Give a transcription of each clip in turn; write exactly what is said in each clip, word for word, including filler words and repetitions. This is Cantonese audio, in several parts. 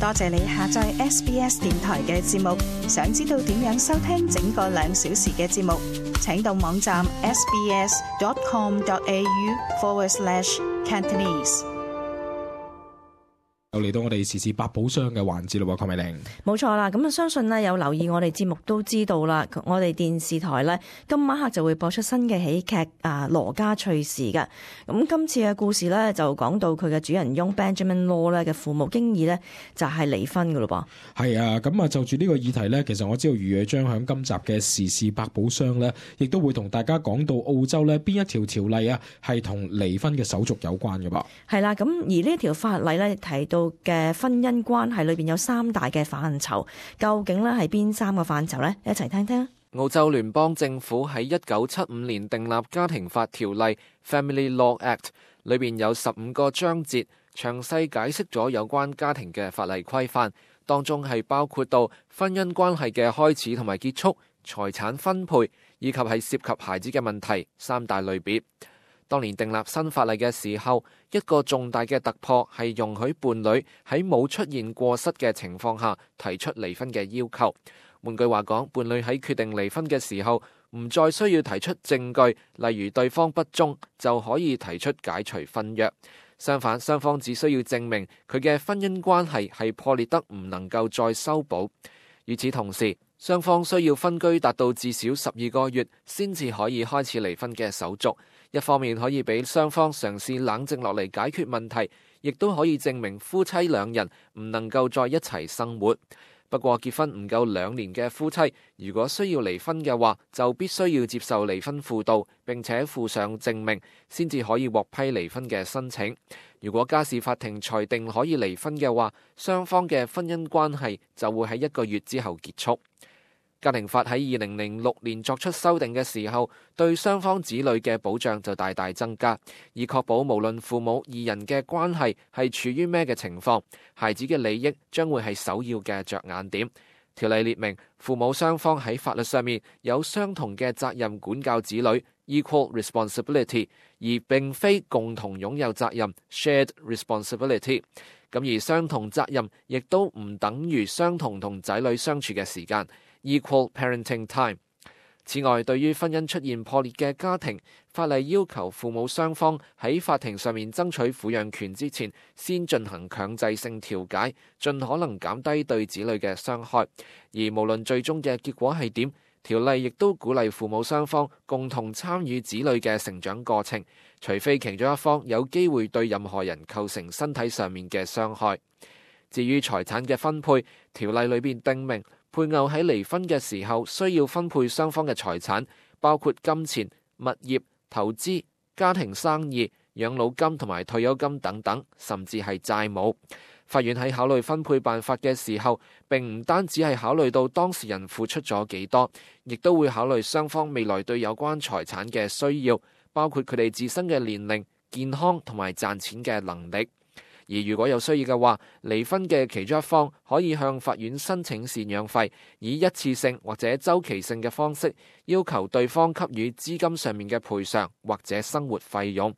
多謝你下載 S B S 電台嘅節目。想知道點樣收聽整個兩小時嘅節目，請到網站 sbs.com.au forward slash Cantonese。又嚟到我哋時事百寶箱嘅環節咯，鄺美玲。冇錯啦，咁啊相信呢有留意我哋節目都知道啦，我哋電視台呢今晚黑就會播出新嘅喜劇啊羅家趣事嘅。咁今次嘅故事呢，就講到佢嘅主人翁 Benjamin Law 呢嘅父母經已呢就係離婚噶咯噃。係啊，咁啊就住呢個議題呢，其實我知道余野將響今集嘅時事百寶箱呢，亦都會同大家講到澳洲呢邊一條條例啊係同離婚嘅手續有關嘅噃。係啦，咁而呢條法例呢，提到嘅婚姻關係裏邊有三大嘅範疇，究竟咧係邊三個範疇呢？一齊聽聽。澳洲聯邦政府喺一九七五年訂立家庭法條例 Family Law Act， 裏邊有十五個章節，詳細解釋咗有關家庭嘅法例規範，當中係包括到婚姻關係嘅開始同埋結束、財產分配以及係涉及孩子嘅問題三大類別。當年訂立新法例嘅時候，一個重大嘅突破係容許伴侶喺冇出現過失嘅情況下提出離婚嘅要求。換句話講，伴侶喺決定離婚嘅時候，唔再需要提出證據，例如對方不忠，就可以提出解除婚約。相反，雙方只需要證明佢嘅婚姻關係係破裂得唔能夠再修補。與此同時，雙方需要分居達到至少十二個月，先至可以開始離婚嘅手續。一方面可以俾雙方嘗試冷靜落嚟解決問題，亦都可以證明夫妻兩人唔能夠再一齊生活。不過結婚唔夠兩年嘅夫妻，如果需要離婚嘅話，就必須要接受離婚輔導，並且附上證明，先至可以獲批離婚嘅申請。如果家事法庭裁定可以離婚嘅話，雙方嘅婚姻關係就會喺一個月之後結束。家庭法喺二零零六年作出修訂嘅時候，對雙方子女嘅保障就大大增加，以確保無論父母二人嘅關係係處於咩嘅情況，孩子嘅利益將會係首要嘅着眼點。條例列明，父母雙方喺法律上面有相同嘅責任管教子女 （equal responsibility）， 而並非共同擁有責任 （shared responsibility）。咁而相同責任亦都唔等於相同同仔女相處嘅時間，Equal parenting time。此外，對於婚姻出現破裂嘅家庭，法例要求父母雙方喺法庭上面爭取撫養權之前，先進行強制性調解，盡可能減低對子女嘅傷害。而無論最終嘅結果係點，條例亦都鼓勵父母雙方共同參與子女嘅成長過程，除非其中一方有機會對任何人構成身體上面嘅傷害。至於財產嘅分配，條例裏邊訂明，配偶喺離婚嘅時候需要分配雙方嘅財產，包括金錢、物業、投資、家庭生意、養老金同埋退休金等等，甚至係債務。法院喺考慮分配辦法嘅時候，並唔單止係考慮到當事人付出咗幾多，亦都會考慮雙方未來對有關財產嘅需要，包括佢哋自身嘅年齡、健康同埋賺錢嘅能力。而如果有需要嘅話，離婚嘅其中一方可以向法院申請贍養費，以一次性或者周期性嘅方式要求對方給予資金上面嘅賠償或者生活費用。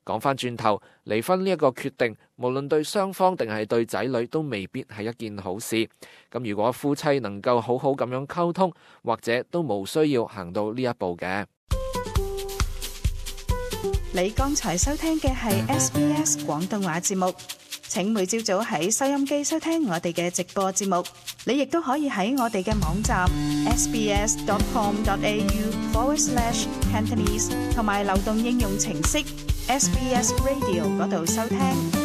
講返轉頭，離婚呢一個決定，無論對雙方定係對仔女都未必係一件好事。咁如果夫妻能夠好好咁樣溝通，或者都冇需要行到呢一步嘅。你剛才收聽嘅係 S B S 廣東話節目，請每朝早喺收音機收聽我哋嘅直播節目。你亦都可以喺我哋嘅網站 sbs.com.au forward slash Cantonese 同埋流動應用程式 S B S Radio 嗰度收聽。